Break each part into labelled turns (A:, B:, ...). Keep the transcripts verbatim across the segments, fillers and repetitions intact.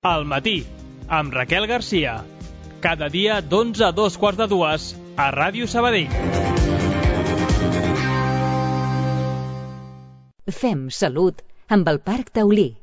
A: Al matí, amb Raquel Garcia. Cada dia d'onze a dos quarts de dues a Ràdio Sabadell.
B: Fem salut amb el Parc Taulí.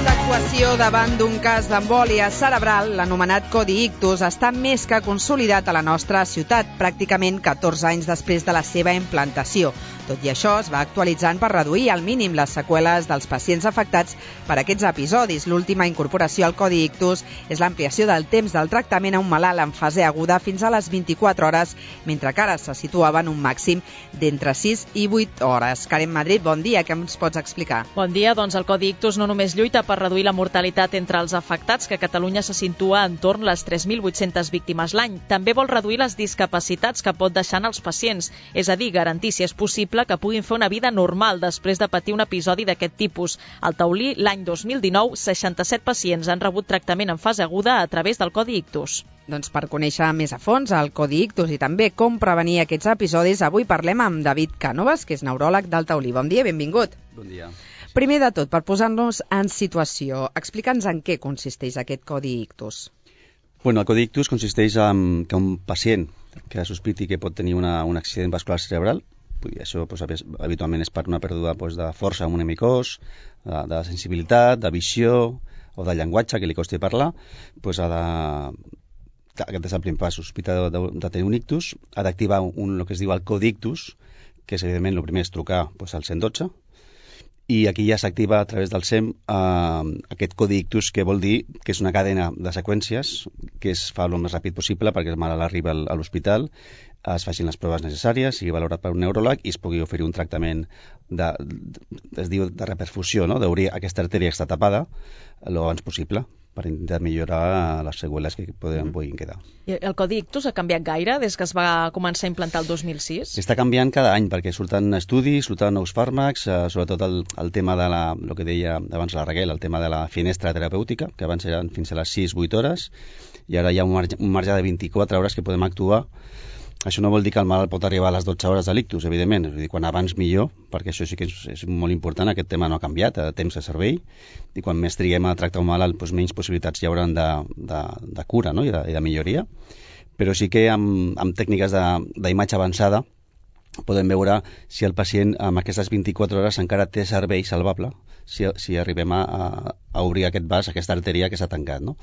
C: L'actuació davant d'un cas d'embòlia cerebral, l'anomenat Codi Ictus, està més que consolidat a la nostra ciutat, pràcticament catorze anys després de la seva implantació. Tot i això, es va actualitzant per reduir al mínim les seqüeles dels pacients afectats per aquests episodis. L'última incorporació al Codi Ictus és l'ampliació del temps del tractament a un malalt en fase aguda fins a les vint-i-quatre hores, mentre que ara se situava en un màxim d'entre sis i vuit hores. Karen Madrid, bon dia, què ens pots explicar?
D: Bon dia, doncs el Codi Ictus no només lluita per reduir la mortalitat entre els afectats, que a Catalunya se situa entorn les tres mil vuit-centes víctimes l'any. També vol reduir les discapacitats que pot deixar en els pacients, és a dir, garantir, si és possible, que puguin fer una vida normal després de patir un episodi d'aquest tipus. Al Taulí, l'any dos mil dinou, seixanta-set pacients han rebut tractament en fase aguda a través del Codi Ictus.
C: Doncs per conèixer més a fons el Codi Ictus i també com prevenir aquests episodis, avui parlem amb David Cànovas, que és neuròleg del Taulí. Bon dia, benvingut.
E: Bon dia.
C: Primer de tot, per posar-nos en situació, explica'ns en què consisteix aquest Codi Ictus.
E: Bueno, el Codi Ictus consisteix en que un pacient que sospiti que pot tenir una, un accident vascular cerebral, i això pues, habitualment és per una pèrdua pues, de força en un hemicós, de, de sensibilitat, de visió o de llenguatge que li costi parlar, pues, ha de... aquest és el primer pas, sospita de, de, de tenir un ictus, ha d'activar un, el que es diu el Codi Ictus, que és evidentment el primer és trucar pues, al cent dotze, i aquí ja s'activa a través del S E M eh, aquest Codi Ictus, que vol dir que és una cadena de seqüències que es fa el més ràpid possible perquè el malalt arriba a l'hospital, es facin les proves necessàries, sigui valorat per un neuròleg i es pugui oferir un tractament de, de, es diu de reperfusió, no? D'obrir aquesta artèria que està tapada el abans possible per intentar millorar les seqüeles que poden, puguin quedar.
D: I el Codi Ictus ha canviat gaire des que es va començar a implantar el dos mil sis?
E: Està canviant cada any perquè surten estudis, surten nous fàrmacs, eh, sobretot el, el tema de la, el que deia abans la Raquel, el tema de la finestra terapèutica, que abans eren fins a les sis vuit hores, i ara hi ha un marge, un marge de vint-i-quatre hores que podem actuar. Això no vol dir que el malalt pot arribar a les dotze hores de l'ictus, evidentment, és a dir, quan abans millor, perquè això sí que és, és molt important, aquest tema no ha canviat, a temps de servei, i quan més triguem a tractar un malalt, doncs menys possibilitats hi haurà de, de, de cura, no? I, de, i de milloria, però sí que amb, amb tècniques d'imatge avançada podem veure si el pacient amb aquestes vint-i-quatre hores encara té servei salvable, si, si arribem a, a obrir aquest vas, aquesta artèria que s'ha tancat, no?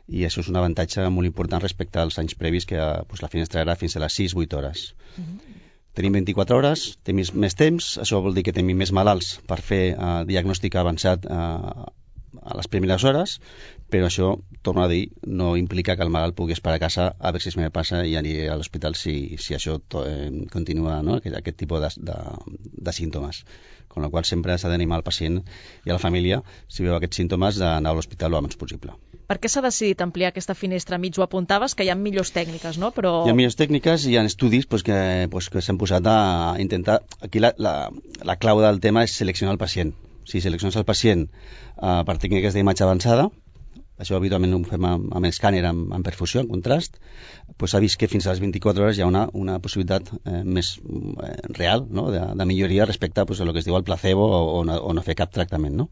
E: I això és un avantatge molt important respecte als anys previs, que pues, la finestra era fins a les sis vuit hores. Mm-hmm. Tenim vint-i-quatre hores, tenim més, més temps, això vol dir que tenim més malalts per fer uh, diagnòstic avançat uh, a les primeres hores, però això, torno a dir, no implica que el malalt pugui esperar a casa a veure si es me passa i aniré a l'hospital si, si això to, eh, continua, no? aquest, aquest tipus de, de, de símptomes. Con la qual sempre s'ha d'animar al pacient i a la família, si veu aquests símptomes, d'anar a l'hospital el més possible.
D: Per què s'ha decidit ampliar aquesta finestra? Mig ho apuntaves, que hi ha millors tècniques, no? Però...
E: Hi ha millors tècniques i hi ha estudis pues, que, pues, que s'han posat a intentar... Aquí la, la, la clau del tema és seleccionar el pacient. Si selecciones el pacient uh, per tècniques d'imatge avançada, això habitualment ho fem amb, amb escàner, amb, amb perfusió, en contrast, pues s'ha vist que fins a les vint-i-quatre hores hi ha una, una possibilitat eh, més eh, real, no? de, de milloria respecte pues, a lo que es diu el placebo o, o, no, o no fer cap tractament, no?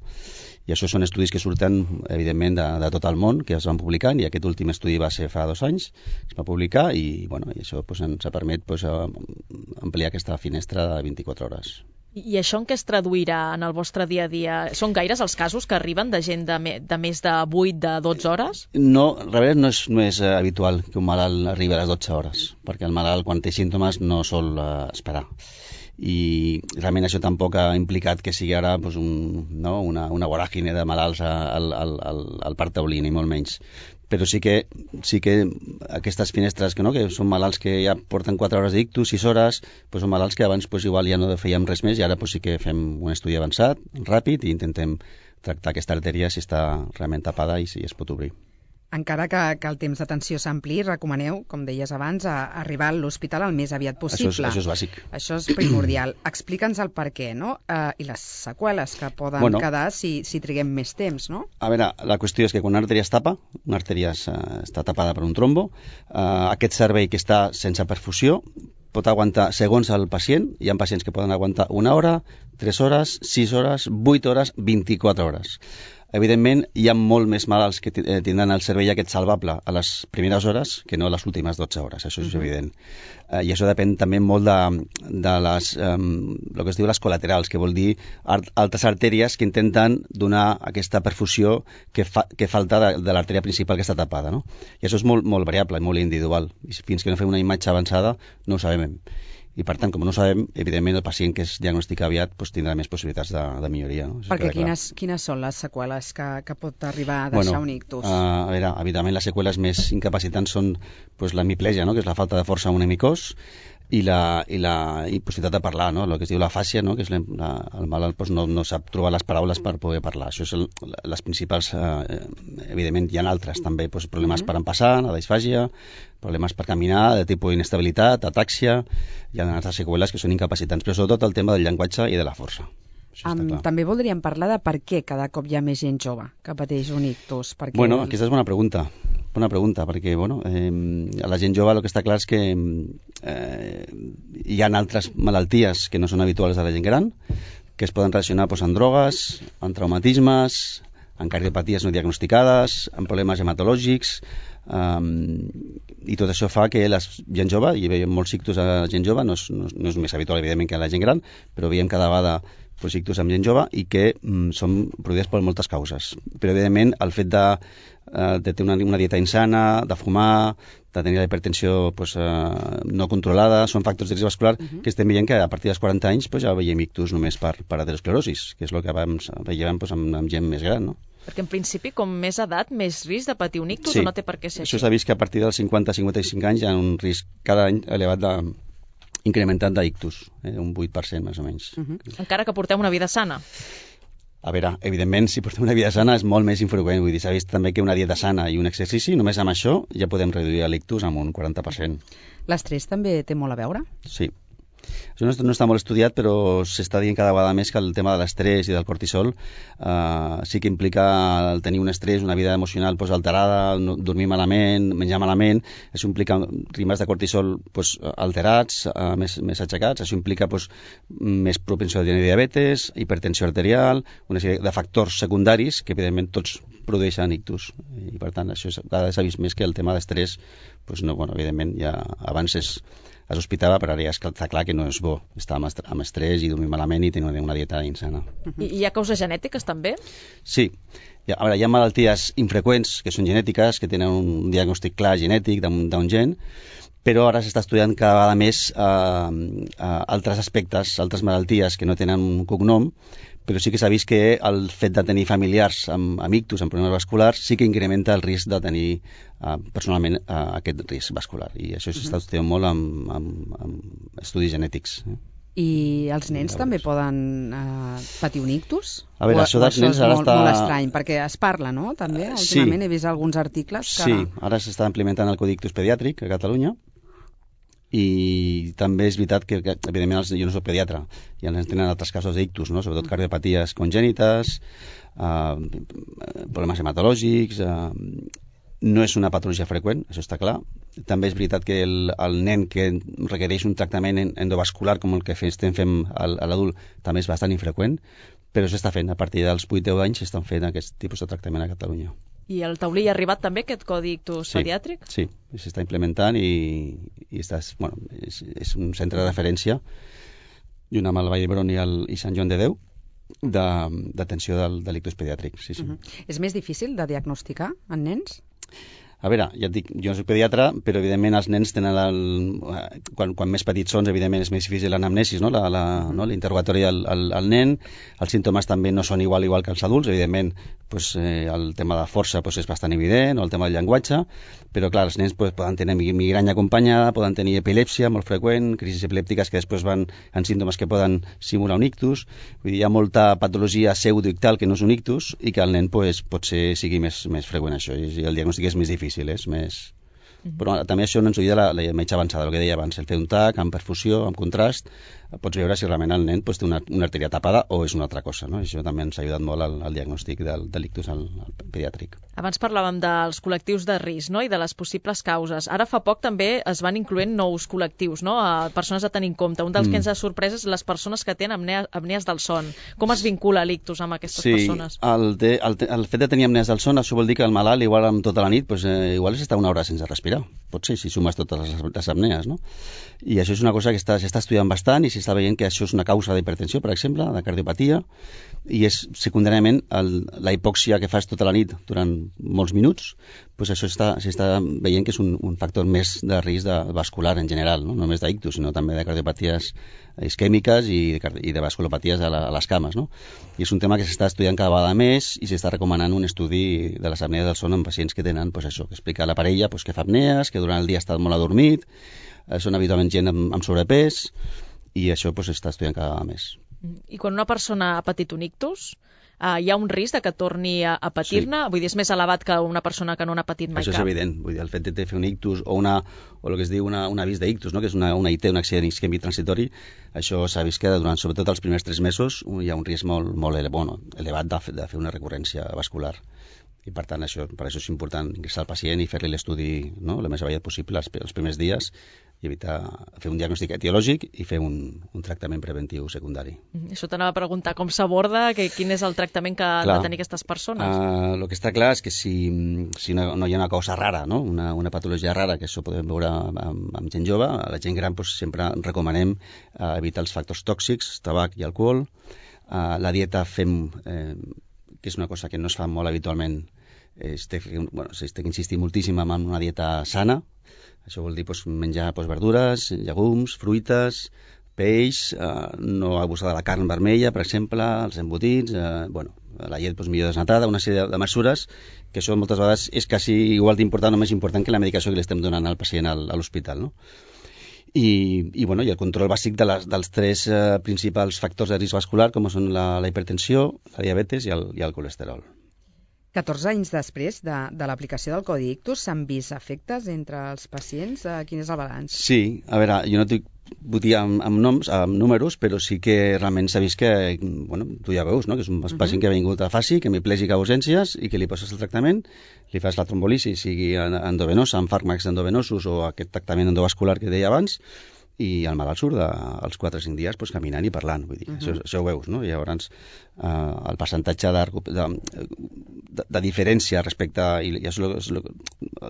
E: I això són estudis que surten, evidentment, de, de tot el món, que es van publicant, i aquest últim estudi va ser fa dos anys, es va publicar, i, bueno, i això pues, ens ha permet pues, ampliar aquesta finestra de vint-i-quatre hores.
D: I això en què es traduirà en el vostre dia a dia? Són gaires els casos que arriben de gent de, me, de més de vuit, de dotze hores?
E: No, realment no és, no és habitual que un malalt arribi a les dotze hores, perquè el malalt, quan té símptomes, no sol uh, esperar. I realment això tampoc ha implicat que sigui ara pues, un, no, una, una voràgine de malalts al, al, al, al Parc Taulí, ni molt menys. Però sí que, sí que aquestes finestres, que, no, que són malalts que ja porten quatre hores d'ictus, sis hores, pues són malalts que abans pues, igual ja no fèiem res més i ara pues, sí que fem un estudi avançat, ràpid, i intentem tractar aquesta artèria si està realment tapada i si es pot obrir.
C: Encara que, que el temps d'atenció s'ampliï, recomaneu, com deies abans, a, a arribar a l'hospital el més aviat possible.
E: Això és, això és bàsic.
C: Això és primordial. Explica'ns el per què, no? Uh, I les seqüeles que poden
E: bueno,
C: quedar si, si triguem més temps, no?
E: A veure, la qüestió és que quan una artèria es tapa, una artèria uh, està tapada per un trombo, uh, aquest servei que està sense perfusió pot aguantar, segons el pacient, hi ha pacients que poden aguantar una hora, tres hores, sis hores, vuit hores, vint-i-quatre hores. Evidentment, hi ha molt més malalts que tindran el servei aquest salvable a les primeres hores que no a les últimes dotze hores, això és uh-huh. evident. Uh, I això depèn també molt de, de les, um, el que es diu les col·laterals, que vol dir art, altres artèries que intenten donar aquesta perfusió que, fa, que falta de, de l'artèria principal que està tapada, no? I això és molt, molt variable, molt individual. I fins que no fem una imatge avançada no ho sabem. I per tant, com no ho sabem, evidentment el pacient que es diagnostica aviat pues, tindrà més possibilitats de, de milloria. No?
C: Perquè quines, quines són les seqüeles que, que pot arribar a deixar
E: bueno,
C: un ictus?
E: Uh, a veure, evidentment les seqüeles més incapacitants són pues, la hemiplegia, no? Que és la falta de força a un hemicós, i la, i la impossibilitat de parlar, no? El que es diu la fàscia, no? Que és la, la, el malalt pues, no, no sap trobar les paraules per poder parlar. Això és el, les principals, eh, evidentment hi ha altres també, pues, problemes mm-hmm. per empassar, la disfàgia, problemes per caminar, de tipus d'inestabilitat, atàxia, hi ha altres seqüeles que són incapacitants, però sobretot el tema del llenguatge i de la força.
C: Um, també voldríem parlar de per què cada cop hi ha més gent jove que pateix un ictus. Perquè
E: bueno,
C: el...
E: aquesta és bona pregunta. Bona pregunta, perquè bueno, eh, a la gent jove el que està clar és que eh, hi ha altres malalties que no són habituals a la gent gran, que es poden relacionar pues, amb drogues, amb traumatismes, amb cardiopaties no diagnosticades, amb problemes hematològics, um, i tot això fa que la gent jove, i veiem molts ictus a la gent jove, no és, no, no és més habitual evidentment que a la gent gran, però veiem cada vegada pues, ictus amb gent jove i que mm, són produïts per moltes causes. Però evidentment el fet de, uh, de tenir una, una dieta insana, de fumar, de tenir la hipertensió pues, uh, no controlada, són factors de risc vascular uh-huh. que estem veient que a partir dels quaranta anys pues, ja veiem ictus només per, per aterosclerosis, que és el que abans veiem pues, amb, amb gent més gran, no?
D: Perquè en principi, com més edat, més risc de patir un ictus,
E: sí.
D: o no té per què ser
E: això
D: així?
E: s'ha vist que a partir dels cinquanta a cinquanta-cinc anys hi ha un risc cada any elevat de incrementat d'ictus, eh, un vuit per cent més o menys.
D: Uh-huh. Encara que porteu una vida sana.
E: A veure, evidentment, si portem una vida sana és molt més infreqüent. Vull dir, s'ha vist també que una dieta sana i un exercici, només amb això ja podem reduir l'ictus amb un quaranta per cent.
C: L'estrès també té molt a veure?
E: Sí. Això no, no està molt estudiat, però s'està dient cada vegada més que el tema de l'estrès i del cortisol eh, sí que implica el tenir un estrès, una vida emocional pues, alterada, no, dormir malament, menjar malament. Això implica ritmes de cortisol pues, alterats, eh, més, més aixecats. Això implica pues, més propensió a tenir diabetes, hipertensió arterial, una sèrie de factors secundaris que, evidentment, tots produeixen ictus. I, per tant, això cada vegada s'ha vist més que el tema d'estrès, pues, no, bueno, evidentment, ja abans és es hospitava, però ara ja està clar que no és bo estar amb, est amb estrès i dormir malament i tenir una, una dieta insana.
D: I hi ha causes genètiques també?
E: Sí. Hi ha, a veure, hi ha malalties infreqüents que són genètiques, que tenen un diagnòstic clar genètic d'un gen, però ara s'està estudiant cada vegada més eh, eh, altres aspectes, altres malalties que no tenen un cognom, però sí que s'ha vist que el fet de tenir familiars amb, amb ictus, amb problemes vasculars, sí que incrementa el risc de tenir eh, personalment eh, aquest risc vascular. I això s'està estudiant molt amb, amb, amb estudis genètics. Eh?
C: I els nens també poden eh, patir un ictus?
E: A veure,
C: o,
E: això dels
C: això
E: nens
C: és
E: ara
C: molt,
E: està...
C: molt estrany, perquè es parla, no? També, últimament
E: sí.
C: he vist alguns articles que...
E: Sí, ara s'està implementant el Codi Ictus pediàtric a Catalunya, i també és veritat que, que evidentment els, jo no soc pediatre i ens tenen altres casos d'ictus, no? Sobretot cardiopaties congènites, eh, problemes hematològics, eh, no és una patologia freqüent, això està clar. També és veritat que el, el nen que requereix un tractament endovascular com el que estem fent a l'adult també és bastant infreqüent, però s'està fent, a partir dels vuit deu anys s'estan fent aquest tipus de tractament a Catalunya.
D: I al taulí ha arribat també aquest codi ictus
E: sí,
D: pediàtric?
E: Sí, s'està implementant i, i està, bueno, és, és un centre de referència junt amb el Vall d'Hebron i, el, i Sant Joan de Déu d'atenció del, de l'ictus pediàtric. Sí, sí.
C: Uh-huh. És més difícil de diagnosticar en nens?
E: A veure, ja et dic, jo no soc pediatre, però evidentment els nens tenen el... Quan, quan més petits són, evidentment és més difícil l'anamnesis, no? La, la, no? L'interrogatori al, al, al nen. Els símptomes també no són igual igual que els adults, evidentment pues, eh, el tema de força pues, és bastant evident, o el tema del llenguatge, però clar, els nens pues, poden tenir migranya acompanyada, poden tenir epilèpsia molt freqüent, crisis epilèptiques que després van en símptomes que poden simular un ictus. Vull dir, hi ha molta patologia pseudoictal que no és un ictus i que el nen pues, potser sigui més, més freqüent això, i el diagnòstic és més difícil, és més... Però també això no ens ho diu de la, la metge avançada, el que deia abans, el fer un tac amb perfusió, amb contrast, pots veure si realment el nen pues, té una, una artèria tapada o és una altra cosa, no? Això també ens ha ajudat molt al, al diagnòstic del, de l'ictus al, al pediàtric.
D: Abans parlàvem dels col·lectius de risc, no? I de les possibles causes. Ara fa poc també es van incloent nous col·lectius, no? A persones a tenir en compte. Un dels mm. que ens ha sorprès és les persones que tenen apnea, apnees del son. Com es vincula l'ictus amb aquestes
E: sí,
D: persones?
E: Sí, el, de, el, el fet de tenir apnees del son, això vol dir que el malalt, igual amb tota la nit, pues, eh, igual és estar una hora sense respirar. Pot ser, si sumes totes les, les apnees, no? I això és una cosa que s'està estudiant bastant i s'està veient que això és una causa d'hipertensió, per exemple, de cardiopatia, i és secundàriament el, la hipòxia que fas tota la nit durant molts minuts, pues això s'està veient que és un, un factor més de risc de vascular en general, no, no només d'ictus, sinó també de cardiopaties isquèmiques i de, i de vasculopaties a, la, a les cames, no? I és un tema que s'està estudiant cada vegada més i s'està recomanant un estudi de les apnees del son en pacients que tenen, pues això, que explica la parella pues, que fa apnees, que durant el dia ha estat molt adormit, eh, són habitualment gent amb, amb sobrepès, i això pues, s'està estudiant cada vegada més.
D: I quan una persona ha patit un ictus, uh, hi ha un risc de que torni a, a patir-ne? Sí. Vull dir, és més elevat que una persona que no n'ha patit mai
E: això
D: cap?
E: Això és evident. Vull dir, el fet de fer un ictus o, una, o el que es diu una, un avís d'ictus, no? Que és una, una I T, un accident isquèmic transitori, això s'ha vist que durant sobretot els primers tres mesos hi ha un risc molt, molt ele, bueno, elevat de, de fer una recurrència vascular. I per tant, això, per això és important ingressar al pacient i fer-li l'estudi, no?, el més aviat possible els, els primers dies i evitar fer un diagnòstic etiològic i fer un, un tractament preventiu secundari.
D: Això t'anava a preguntar, com s'aborda, que, quin és el tractament que han de tenir aquestes persones?
E: Uh, el que està clar és que si, si no, no hi ha una cosa rara, no?, una, una patologia rara, que això podem veure amb, amb gent jove, a la gent gran doncs, sempre recomanem uh, evitar els factors tòxics, tabac i alcohol. Uh, la dieta fem... Eh, que és una cosa que no es fa molt habitualment, es té, bueno, es té que insistir moltíssim en una dieta sana. Això vol dir pues, menjar pues, verdures, llegums, fruites, peix, eh, no abusar de la carn vermella, per exemple, els embotits, eh, bueno, la llet pues, millor desnatada, una sèrie de, de mesures que això moltes vegades és quasi igual d'important o més important que la medicació que li estem donant al pacient al, a l'hospital, no? I, i, bueno, i el control bàsic de les, dels tres eh, principals factors de risc vascular, com són la, la hipertensió, la diabetes i el, i el colesterol.
C: catorze anys després de, de l'aplicació del Codi Ictus, s'han vist efectes entre els pacients? Quin és el balanç?
E: Sí, a veure, jo no t'ho vull dir amb, amb noms, amb números, però sí que realment s'ha vist que, bueno, tu ja veus, no?, que és un uh-huh. pacient que ha vingut a faci, que hemiplegica a urgències i que li poses el tractament, li fas la trombolisi, sigui endovenosa, amb fàrmacs endovenosos o aquest tractament endovascular que deia abans, i el malalt surt de, als quatre o cinc dies pues, caminant i parlant, vull dir, uh-huh. això, això ho veus, no? I llavors eh, el percentatge de, de, de, de diferència respecte, i ja és el, és el,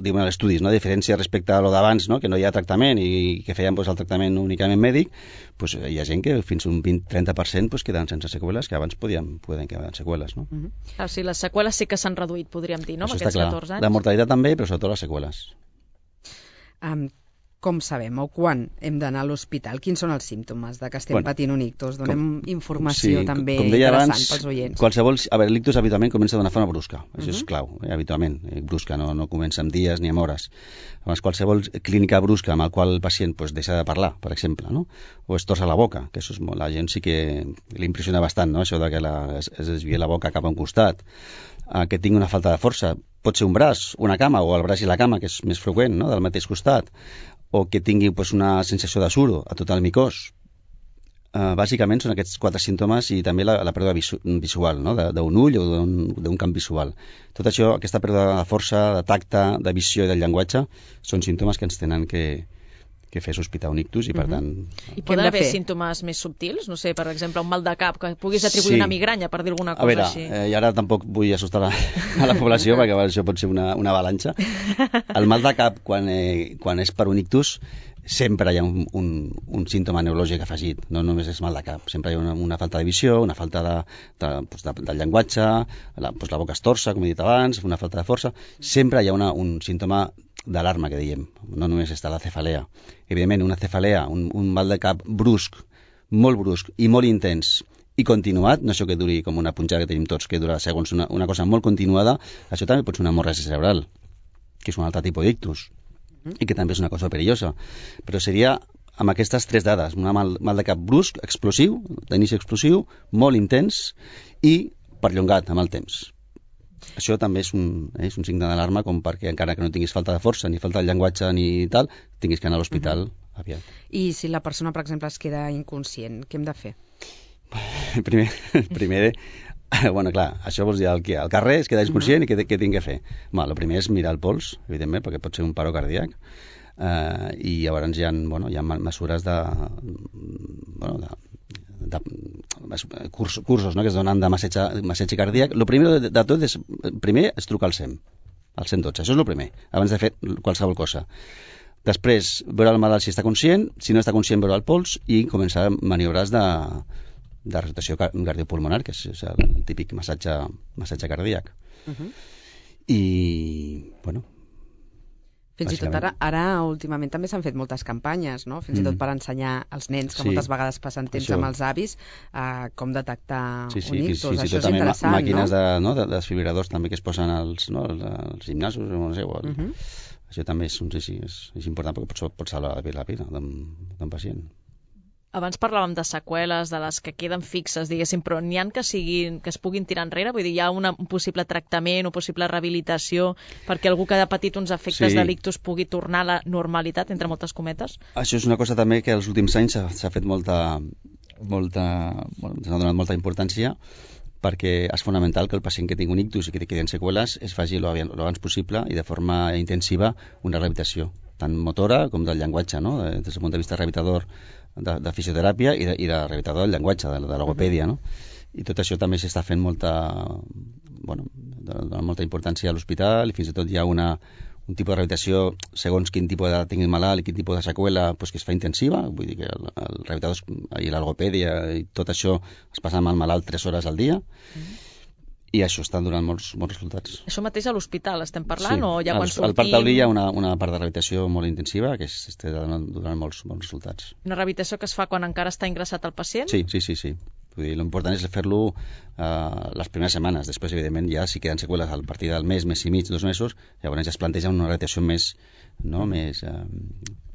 E: diuen els estudis, no? Diferència respecte a lo d'abans, no? Que no hi ha tractament i que feien pues, el tractament únicament mèdic, pues, hi ha gent que fins a un vint a trenta per cent pues, queden sense seqüeles, que abans podien, podien quedar seqüeles, no?
D: Uh-huh. Ah, sí, les seqüeles sí que s'han reduït, podríem dir, no?
E: Això
D: amb aquests catorze anys.
E: La mortalitat també, però sobretot les seqüeles.
C: Um, Com sabem o quan hem d'anar a l'hospital? Quins són els símptomes de que estem bueno, patint un ictus? Donem com, informació sí, també com deia interessant abans, pels oients.
E: Qualsevol, a veure, l'ictus habitualment comença d'una forma brusca. Això uh-huh. és clau, eh, habitualment. Eh, brusca, no, no comença amb dies ni amb hores. Llavors, qualsevol clínica brusca amb el qual el pacient pues, deixa de parlar, per exemple, no? O es torça la boca, que això és molt, la gent sí que li impressiona bastant, no? Això de que la, es, es desvia la boca cap a un costat. Eh, que tingui una falta de força. Pot ser un braç, una cama, o el braç i la cama, que és més freqüent, no?, del mateix costat, o que tingui pues, una sensació de suro a tot el micós. Uh, bàsicament són aquests quatre símptomes i també la, la pèrdua visu visual, no?, d'un ull o d'un camp visual. Tot això, aquesta pèrdua de força, de tacte, de visió i del llenguatge, són símptomes que ens tenen que, que fer sospitar un ictus i, per tant...
D: Uh-huh. I poden haver símptomes més subtils? No sé, per exemple, un mal de cap, que puguis atribuir sí. una migranya, per dir alguna cosa
E: a veure,
D: així.
E: Eh, I ara tampoc vull assustar la, a la població, perquè això pot ser una, una avalanxa. El mal de cap, quan, eh, quan és per un ictus, sempre hi ha un, un, un símptoma neurològic afegit, no només és mal de cap, sempre hi ha una, una falta de visió, una falta de, de, doncs de, del llenguatge, la, doncs la boca es torça, com he dit abans, una falta de força, sempre hi ha una, un símptoma d'alarma, que diem, no només està la cefalea. Evidentment, una cefalea, un, un mal de cap brusc, molt brusc i molt intens, i continuat, no això que duri com una punxada que tenim tots, que dura segons una, una cosa molt continuada, això també pot ser una hemorràgia cerebral, que és un altre tipus d'ictus, i que també és una cosa perillosa. Però seria amb aquestes tres dades, un mal, mal de cap brusc, explosiu, d'inici explosiu, molt intens i perllongat amb el temps. Això també és un, és un signe d'alarma, com perquè encara que no tinguis falta de força, ni falta de llenguatge, ni tal, tinguis que anar a l'hospital uh-huh. aviat.
C: I si la persona, per exemple, es queda inconscient, què hem de fer?
E: Primer, primer bueno, clar, això vols dir el que al carrer es queda inconscient uh-huh. i què, què tinc que fer? Bueno, el primer és mirar el pols, evidentment, perquè pot ser un paro cardíac, uh, i llavors hi ha, bueno, hi ha mesures de, bueno, de, de cursos, cursos no?, que es donen de massetge, massetge cardíac. El primer de, de tot és, primer és trucar al SEM, al cent dotze, això és el primer, abans de fer qualsevol cosa. Després, veure el malalt si està conscient, si no està conscient, veure el pols i començar maniobres de de resuscitació cardiopulmonar, que és el típic massatge, massatge cardíac. Uh-huh. I, bueno...
C: Fins i tot ara, ara últimament també s'han fet moltes campanyes, no? Fins mm. i tot per ensenyar als nens, que sí. moltes vegades passen temps Això. amb els avis, uh, com detectar
E: sí, sí,
C: un ictus.
E: Sí, sí,
C: Això és
E: també
C: interessant,
E: màquines
C: no?
E: de, no? de desfibriladors també que es posen als, no? als gimnasos, no sé, o al... uh-huh. Això també és, sí, sí, és, és important perquè pot, pot salvar la vida d'un pacient.
D: Abans parlàvem de seqüeles, de les que queden fixes, diguéssim, però n'hi ha que, siguin, que es puguin tirar enrere? Vull dir, hi ha una, un possible tractament o possible rehabilitació perquè algú que ha patit uns efectes sí. de l'ictus pugui tornar a la normalitat, entre moltes cometes?
E: Això és una cosa també que als últims anys s'ha fet molta... molta bueno, s'ha donat molta importància perquè és fonamental que el pacient que tingui un ictus i que queden seqüeles es faci l'abans possible i de forma intensiva una rehabilitació, tant motora com del llenguatge, no? Des del punt de vista rehabilitador de, de fisioteràpia i de, i de rehabilitador del llenguatge, de, de logopèdia, no? I tot això també s'està fent molta, bueno, dona molta importància a l'hospital i fins i tot hi ha una, un tipus de rehabilitació segons quin tipus d'edat tingui el malalt i quin tipus de seqüela pues, que es fa intensiva, vull dir que el, el rehabilitador i la logopèdia i tot això es passa amb el malalt tres hores al dia. Mm. I això està donant molts, molts resultats.
D: Això mateix a l'hospital estem parlant?
E: Sí.
D: O ja quan sortim...
E: Al Parc Taulí hi ha una, una part de rehabilitació molt intensiva que està donant, donant molts, molts resultats.
D: Una rehabilitació que es fa quan encara està ingressat el pacient?
E: Sí, sí, sí. sí. L'important és fer-lo uh, les primeres setmanes. Després, evidentment, ja si queden seqüeles a partir del mes, mes i mig, dos mesos, llavors ja es planteja una rehabilitació més, no, més uh,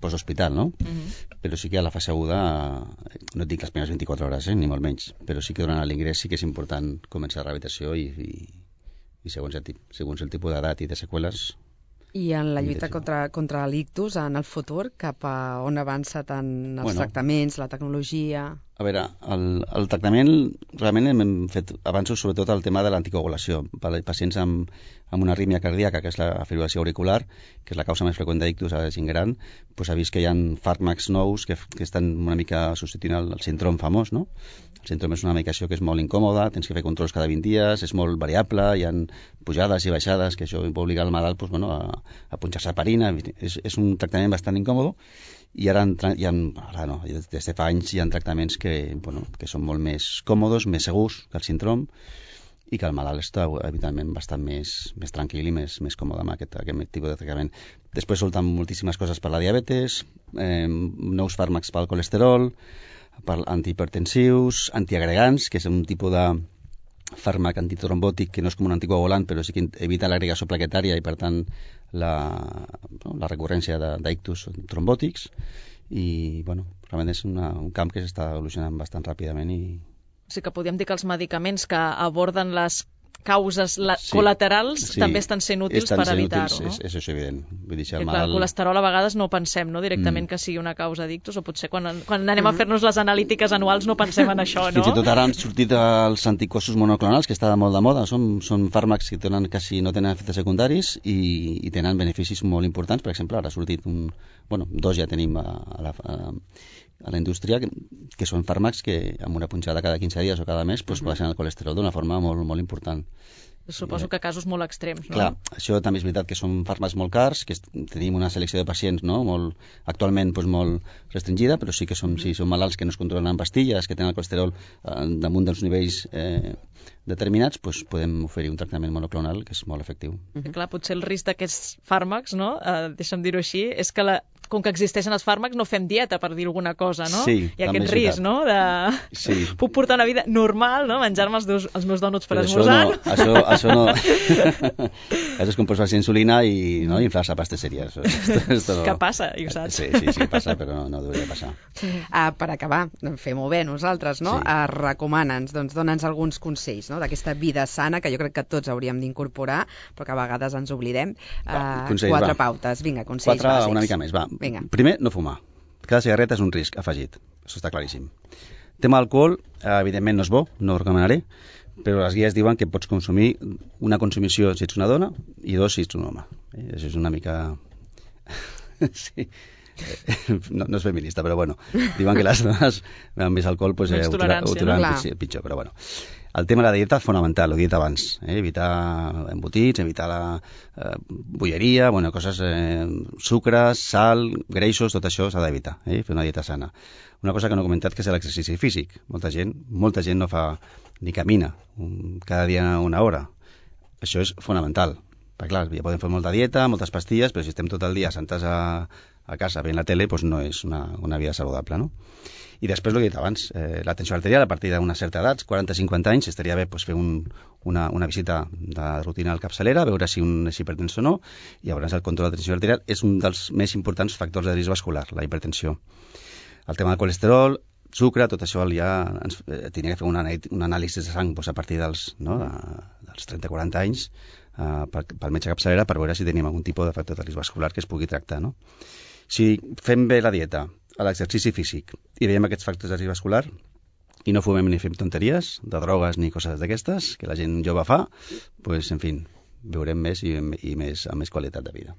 E: post-hospital, no? Uh-huh. Però sí que a la fase aguda, no et dic les primeres vint-i-quatre hores, eh, ni molt menys, però sí que durant l'ingrés sí que és important començar la rehabilitació i, i, i segons, el, segons el tipus d'edat i de seqüeles.
C: I en la lluita contra, contra l'ictus, en el futur, cap a on avança tant els bueno, tractaments, la tecnologia...
E: A veure, el, el tractament, realment hem fet avanços sobretot al tema de l'anticoagulació. Per als pacients amb, amb una arrítmia cardíaca, que és la fibrilació auricular, que és la causa més freqüent d'ictus a la gent gran, doncs ha vist que hi ha fàrmacs nous que, que estan una mica substituint el, el síndrom famós, no? El síndrom és una medicació que és molt incòmoda, tens que fer controls cada vint dies, és molt variable, hi ha pujades i baixades, que això va obligar el malalt doncs, bueno, a, a punxar-se heparina, és, és un tractament bastant incòmodo, i ara, hi ha, ara no, des de fa anys hi ha tractaments que, bueno, que són molt més còmodes, més segurs que el síndrom i que el malalt està evidentment bastant més, més tranquil i més, més còmode amb aquest, aquest tipus de tractament. Després surten moltíssimes coses per la diabetes, eh, nous fàrmacs pel colesterol, per antihipertensius, antiagregants, que és un tipus de fàrmac antitrombòtic que no és com un anticoagulant però sí que evita l'agregació plaquetària i per tant la, no, la recurrència d'ictus trombòtics i bueno, realment és una, un camp que s'està evolucionant bastant ràpidament i...
D: O sigui que podríem dir que els medicaments que aborden les causes la... sí, col·laterals sí, també estan sent útils estan per evitar-ho, no? És, és això evident. Vull dir, el, mal... el colesterol a vegades no pensem, no, directament mm. que sigui una causa d'ictus, o potser quan, quan anem mm. a fer-nos les analítiques anuals no pensem en això, no?
E: Fins i tot ara han sortit els anticossos monoclonals, que està molt de moda, són, són fàrmacs que tenen, quasi no tenen efectes secundaris i, i tenen beneficis molt importants. Per exemple, ara ha sortit un... Bueno, dos ja tenim a, a la... A, a la indústria, que, que són fàrmacs que amb una punxada cada quinze dies o cada mes pues, uh-huh. baixen el colesterol d'una forma molt, molt important.
D: Suposo que casos molt extrems, no?
E: Clar, això també és veritat que són fàrmacs molt cars, que tenim una selecció de pacients, no?, molt, actualment doncs, molt restringida, però sí que són, si són malalts que no es controlen amb pastilles, que tenen el colesterol eh, damunt dels nivells eh, determinats, doncs podem oferir un tractament monoclonal que és molt efectiu.
D: Uh-huh. Clar, potser el risc d'aquests fàrmacs, no?, eh, deixa'm dir-ho així, és que la, com que existeixen els fàrmacs no fem dieta, per dir alguna cosa, no?
E: Sí,
D: i aquest risc, no?, de...
E: Sí.
D: Puc portar una vida normal, no?, menjar-me els, dos, els meus dònuts per
E: però
D: esmorzar.
E: Això no, això, això no... això és com posar-se insulina i no, inflar-se a pastisseria. Això, esto, esto no...
D: Que passa, i ho saps.
E: Sí, sí, sí, passa, però no, no hauria de passar.
C: Uh, per acabar, fem-ho bé nosaltres, no?
E: Sí.
C: Uh, recomana'ns, doncs dona'ns alguns consells, no?, d'aquesta vida sana que jo crec que tots hauríem d'incorporar, però que a vegades ens oblidem. Uh,
E: Va, consells,
C: quatre
E: va.
C: pautes, vinga, consells
E: Quatre,
C: bàsics.
E: una mica més, va.
C: Vinga.
E: Primer, no fumar. Cada cigarreta és un risc afegit, això està claríssim. Tema alcohol, evidentment no és bo, no ho recomanaré, però les guies diuen que pots consumir una consumició si ets una dona i dos si ets un home. Eh? Això és una mica... sí. No, no és feminista, però bueno, diuen que les dones amb més alcohol pues,
D: Menys
E: eh,
D: tolerància,
E: ho toleren
C: no?
E: pitjor, pitjor, però bueno. El tema de la dieta és fonamental, ho he dit abans, eh? Evitar embotits, evitar la eh, bolleria, bueno, coses, eh, sucres, sal, greixos, tot això s'ha d'evitar, eh? Fer una dieta sana. Una cosa que no he comentat que és l'exercici físic. Molta gent, molta gent no fa ni camina un, cada dia una hora. Això és fonamental. Perquè clar, ja podem fer molta dieta, moltes pastilles, però si estem tot el dia sentats a, a casa veient la tele, doncs no és una, una vida saludable, no? I després, el que he dit abans, eh, la tensió arterial a partir d'una certa edat, quaranta a cinquanta anys, estaria bé pues, fer un, una, una visita de rutina al capçalera, veure si un és hipertens o no, i llavors el control de la tensió arterial és un dels més importants factors de risc vascular, la hipertensió. El tema del colesterol, sucre, tot això ja ens eh, tenia que fer una, un anàlisi de sang pues, a partir dels, no, de, dels trenta a quaranta anys eh, per, pel metge capçalera per veure si tenim algun tipus de factor de risc vascular que es pugui tractar, no? Si fem bé la dieta, l'exercici físic i veiem aquests factors de risc vascular i no fumem ni fem tonteries de drogues ni coses d'aquestes que la gent jove fa, pues, en fi, viurem més i, i més, amb més qualitat de vida.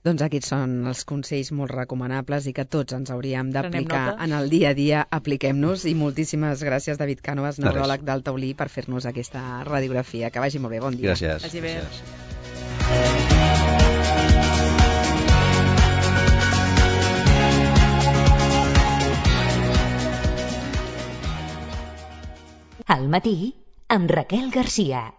C: Doncs aquests són els consells molt recomanables i que tots ens hauríem d'aplicar
D: nota.
C: en el dia a dia. Apliquem-nos i moltíssimes gràcies, David Cànovas, neuròleg del Taulí, per fer-nos aquesta radiografia. Que vagi molt bé, bon dia.
E: Gràcies.
D: Vagi bé.
E: Gràcies.
B: Al matí, amb Raquel Garcia.